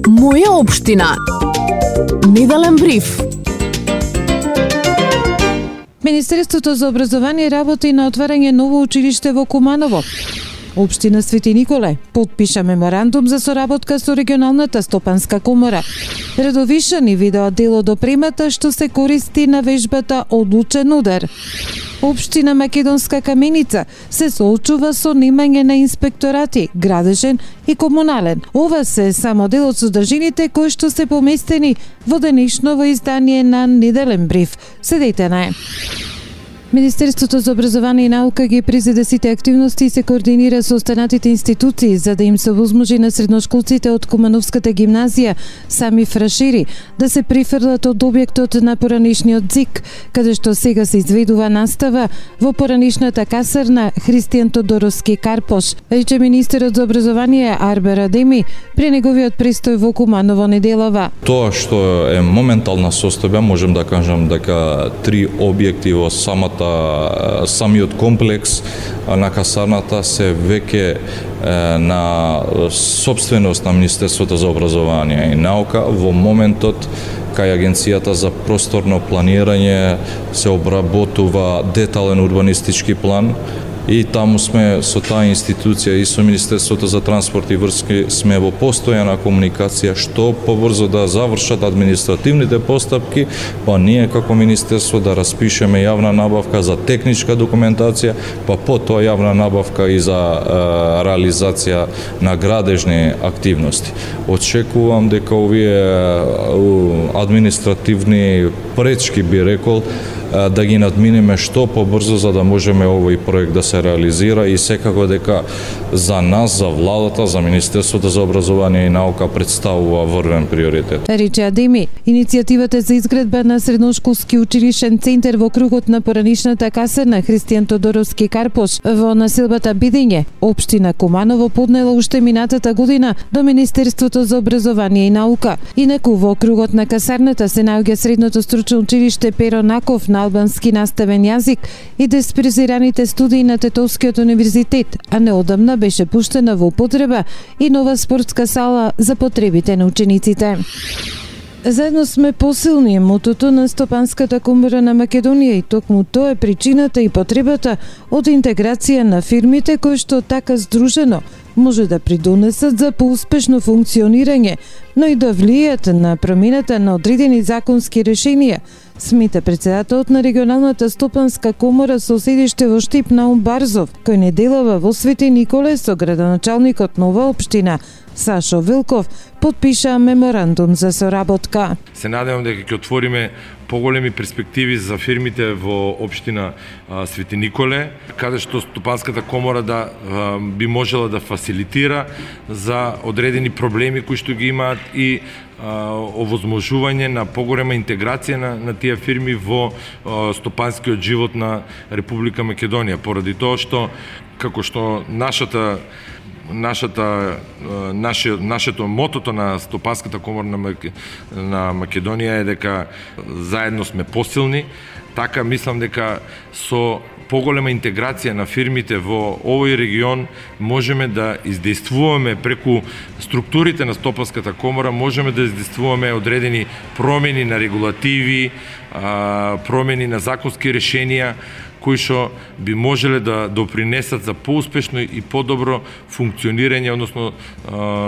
Моја општина. Неделен бриф. Министерството за образование работи на отварање ново училиште во Куманово. Општина Свети Николе потпиша меморандум за соработка со регионалната стопанска комора. Радовишани видео дел од опремата што се користи на вежбата Одлучен удар. Општина Македонска Каменица се соочува со немање на инспекторати, градежен и комунален. Ова се само дел од содржините кои што се поместени во денешново издание на Неделен бриф. Следете на Министерството за образование и наука ги презеде сите активности и се координира со останатите институции за да им се овозможи на средношколците од Кумановската гимназија сами фрашири да се прифрлат од објектот на поранишниот ЗИК, каде што сега се изведува настава во поранишната касарна Христијан Тодоровски Карпош, рече министерот за образование Арбер Адеми при неговиот престој во Куманово неделава. Тоа што е моментална состојба, можем да кажам дека 3 објекти во самиот комплекс на касарната се веќе на собственост на Министерството за образование и наука. Во моментот кај Агенцијата за просторно планирање се обработува детален урбанистички план и таму сме со таа институција и со Министерството за транспорт и врски сме во постојана комуникација што побрзо да завршат административните постапки, па ние како Министерство да распишеме јавна набавка за техничка документација, па потоа јавна набавка и за реализација на градежни активности. Очекувам дека овие административни пречки, би рекол, да ги надминеме што побрзо за да можеме овој проект да се реализира и секако дека за нас, за владата, за Министерството за образование и наука представува врвен приоритет. Рече Адеми, иницијативата за изградба на средношколски училишен центар во кругот на поранишната касарна Христијан Тодоровски Карпош во населбата Бидење, општина Куманово поднела уште минатата година до Министерството за образование и наука. Инаку во кругот на касарната се наоѓа средното стручно училиште Перо Наков на албански наставен јазик и диспрезираните студии на Тетовскиот универзитет, а неодамна беше пуштена во употреба и нова спортска сала за потребите на учениците. Заедно сме посилни е мотото на Стопанската комора на Македонија и токму тоа е причината и потребата од интеграција на фирмите кои што така здружено може да придонесат за поуспешно функционирање, но и да влијат на промената на одредени законски решенија, смета председателот на регионалната стопанска комора со седиште во Штип Наум Барзов, кој неделава во Свети Николе со градоначалникот на оваа општина Сашо Вилков потпиша меморандум за соработка. Се надевам дека ќе отвориме поголеми перспективи за фирмите во општина Свети Николе, каде што Стопанската комора би можела да фасилитира за одредени проблеми кои што ги имаат и овозможување на поголема интеграција на тие фирми во стопанскиот живот на Република Македонија, поради тоа што како што нашето мотото на Стопанската комора на Македонија е дека заедно сме посилни, така мислам дека со поголема интеграција на фирмите во овој регион можеме да издействуваме преку структурите на Стопанската комора, можеме да издействуваме одредени промени на регулативи, промени на законски решенија кои што би можеле да допринесат за поуспешно и подобро функционирање, односно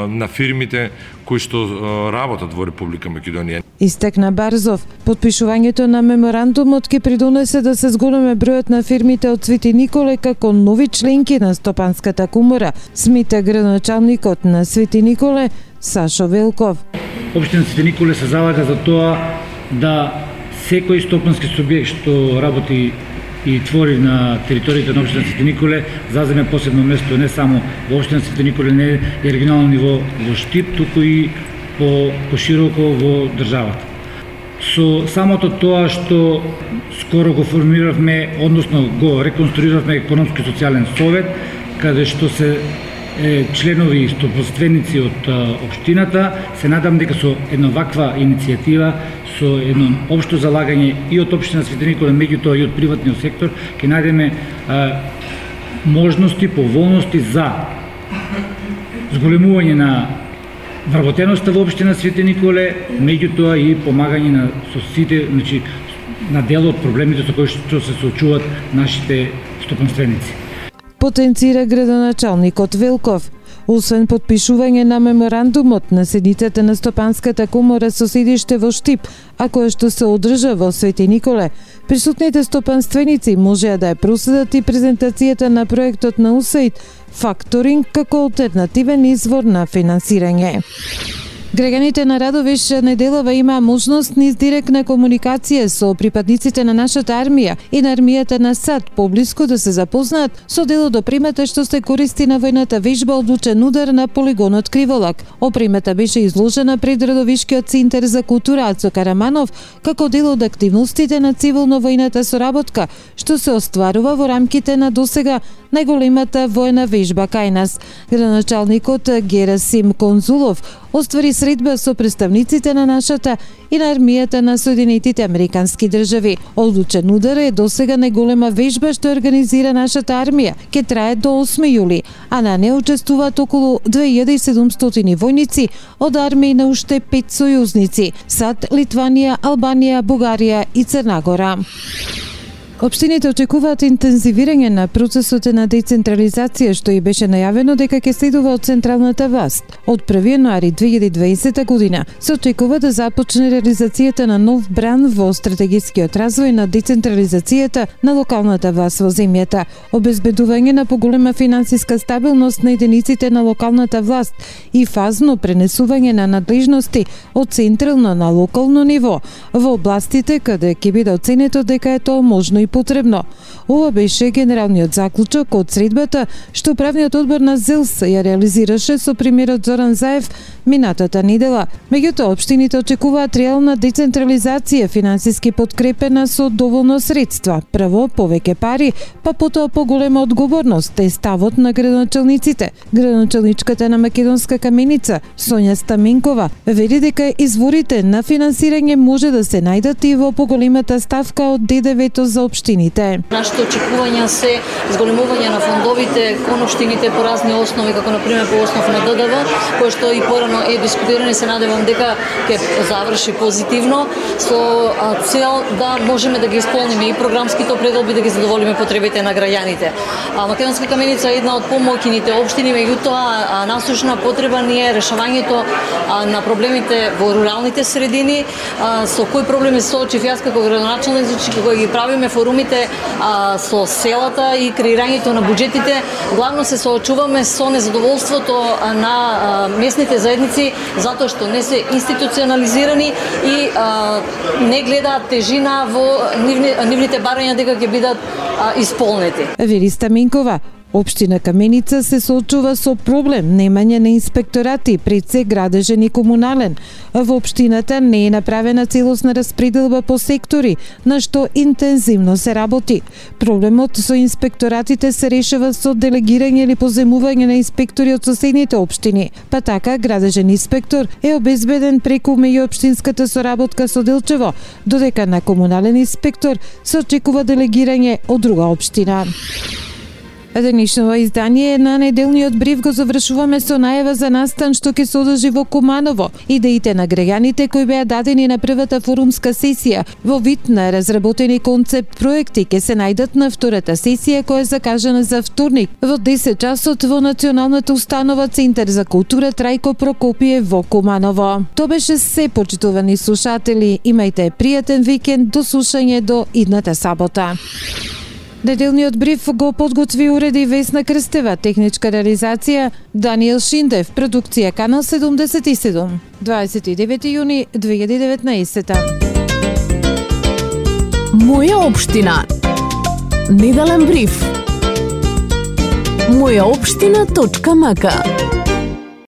на фирмите кои што работат во Република Македонија. Истекна Барзов, потпишувањето на меморандумот ќе придонесе да се зголеме бројот на фирмите од Свети Николе како нови членки на Стопанската комора, смета градоначалникот на Свети Николе Сашо Велков. Општина Свети Николе се залага за тоа да секој стопански субјект што работи и твори на територијата на општина Свети Николе заземе посебно место не само во општина Свети Николе, не и регионално ниво во Штип, туку и пошироко во државата. Со самото тоа што скоро го формиравме, односно го реконструиравме економски социјален совет, каде што се членови и стопанственици од општината, се надам дека со една ваква иницијатива, со едно општо залагање и од општина Свети Николе, меѓутоа и од приватниот сектор, ќе најдеме можности, поволности за зголемување на вработеноста во општина Свети Николе, меѓутоа и помагање на со сите, значи на дел од проблемите со кои што се соочуваат нашите стопанственици. Потенцира градоначалникот Велков. Освен подпишување на меморандумот на седницата на Стопанската комора со седиште во Штип, а која што се одржа во Свети Николе, присутните стопанственици можеа да ја проследат и презентацијата на проектот на USAID факторинг како алтернативен извор на финансирање. Граѓаните на Радовиш неделава имаа можност низ директна комуникација со припадниците на нашата армија и на армијата на САД поблиску да се запознаат со дел од опремата што се користи на војната вежба одлучен удар на полигонот Криволак. Опремата беше изложена пред Радовишкиот центар за култура Ацо Караманов како дел од активностите на цивилно-војната соработка што се остварува во рамките на досега најголемата војна вежба кај нас. Градоначалникот Герасим Конзулов оствари средба со представниците на нашата и на армијата на Соединетите Американски држави. Одлучен удар е досега најголема вежба што организира нашата армија. Ке трае до 8 јули, а на неа учествуваат околу 2700 војници од армии на уште 5 сојузници: САД, Литванија, Албанија, Бугарија и Црна Гора. Општините очекуваат интензивирање на процесот на децентрализација што и беше најавено дека ќе следува од централната власт. Од 1 јануари 2020 година се очекува да започне реализацијата на нов бран во стратегискиот развој на децентрализацијата на локалната власт во земјата, обезбедување на поголема финансиска стабилност на единиците на локалната власт и фазно пренесување на надлежности од централно на локално ниво во областите каде ќе биде оценето дека е тоа можно и потребно. Ова беше генералниот заклучок од средбата што правниот одбор на ЗЕЛС ја реализираше со премиерот Зоран Заев минатата недела. Меѓутоа, општините очекуваат реална децентрализација, финансиски подкрепена со доволно средства. Прво, повеќе пари, па потоа поголема одговорност е ставот на градоначалниците. Градоначалничката на Македонска каменица, Сонја Стаменкова, вели дека изворите на финансирање може да се најдат и во поголемата ставка од ДДВ-то за општините. Нашите очекувања се зголемување на фондовите кон општините по разни основи, како например по основ на ДДВ, кој што и порано е дискутирано и се надевам дека ќе заврши позитивно со цел да можеме да ги исполниме и програмските предоби, да ги задоволиме потребите на граѓаните. Македонска каменица е една од помоќните општини, меѓутоа насушна потреба ни е решавањето на проблемите во руралните средини, со кои проблеми се соочив јас како градоначалник, кога ги правиме форумите со селата и креирањето на буџетите, главно се соочуваме со незадоволството на местните заедници затоа што не се институционализирани и не гледаат тежина во нивните барања дека ќе бидат исполнети. Вели Стаменкова, општина Каменица се соочува со проблем немање на инспекторати, пред се градежен и комунален. Во општината не е направена целосна распределба по сектори, на што интензивно се работи. Проблемот со инспекторатите се решава со делегирање или поземување на инспектори од соседните општини. Па така, градежен инспектор е обезбеден преку меѓуопштинската соработка со Делчево, додека на комунален инспектор се очекува делегирање од друга општина. Денешното издание на неделниот бриф го завршуваме со најава за настан што ќе се одржи во Куманово. Идеите на граѓаните кои беа дадени на првата форумска сесија во вид на разработени концепт проекти ќе се најдат на втората сесија која е закажана за вторник во 10 часот во Националната установа Центар за култура Трајко Прокопиев во Куманово. Тоа беше се, почитувани слушатели. Имајте пријатен викенд, до слушање до идната сабота. Неделниот бриф го подготви уреди Весна Крстева, техничка реализација Даниел Шиндев, продукција Канал 77, 29 јуни 2019. Моја општина. Неделен бриф. Мојаопштина.мк